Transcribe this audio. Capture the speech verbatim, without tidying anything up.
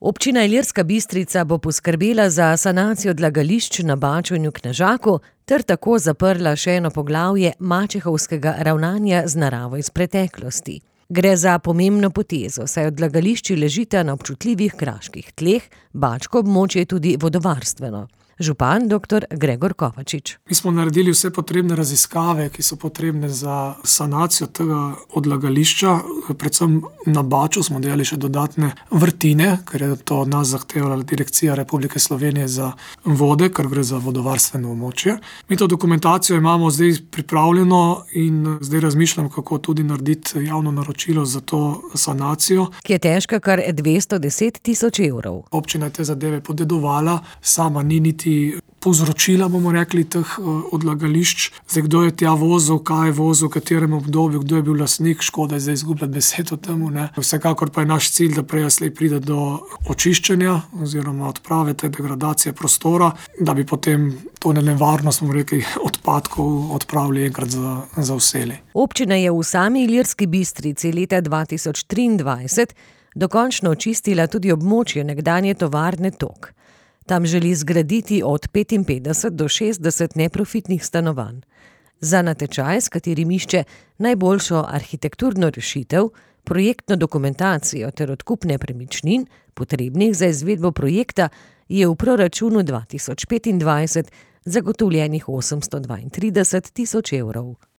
Občina Ilirska Bistrica bo poskrbela za sanacijo odlagališč na Baču in v Knežaku ter tako zaprla še eno poglavje mačehovskega ravnanja z naravo iz preteklosti. Gre za pomembno potezo, saj odlagališči ležita na občutljivih kraških tleh, bačko območje je tudi vodovarstveno. Župan doktor Gregor Kovačič. Mi smo naredili vse potrebne raziskave, ki so potrebne za sanacijo tega odlagališča. Predvsem na Baču smo delali še dodatne vrtine, ker je to od nas zahtevala Direkcija Republike Slovenije za vode, ker gre za vodovarstveno območje. Mi to dokumentacijo imamo zdaj pripravljeno in zdaj razmišljam, kako tudi narediti javno naročilo za to sanacijo. Ki je težka kar dvesto deset tisoč evrov. Občina je te zadeve podedovala, sama ni niti povzročila, bomo rekli, teh odlagališč. Zdaj, kdo je tja vozil, kaj je vozil, v katerem obdobju, kdo je bil lastnik, škoda je zdaj izgubljati besed o tem, ne. Vsekakor pa je naš cilj, da prej ali slej pride do očiščenja oziroma odprave te degradacije prostora, da bi potem to nevarnost, bomo rekli, odpadkov odpravili enkrat za, za vselej. Občina je v sami Ilirski Bistrici leta dva tisoč triindvajset dokončno očistila tudi območje nekdanje tovarne Tok. Tam želi zgraditi od petinpetdeset do šestdeset neprofitnih stanovanj. Za natečaj, s katerim išče najboljšo arhitekturno rešitev, projektno dokumentacijo ter odkup nepremičnin, potrebnih za izvedbo projekta, je v proračunu dva tisoč petindvajset zagotovljenih osemsto dvaintrideset tisoč evrov.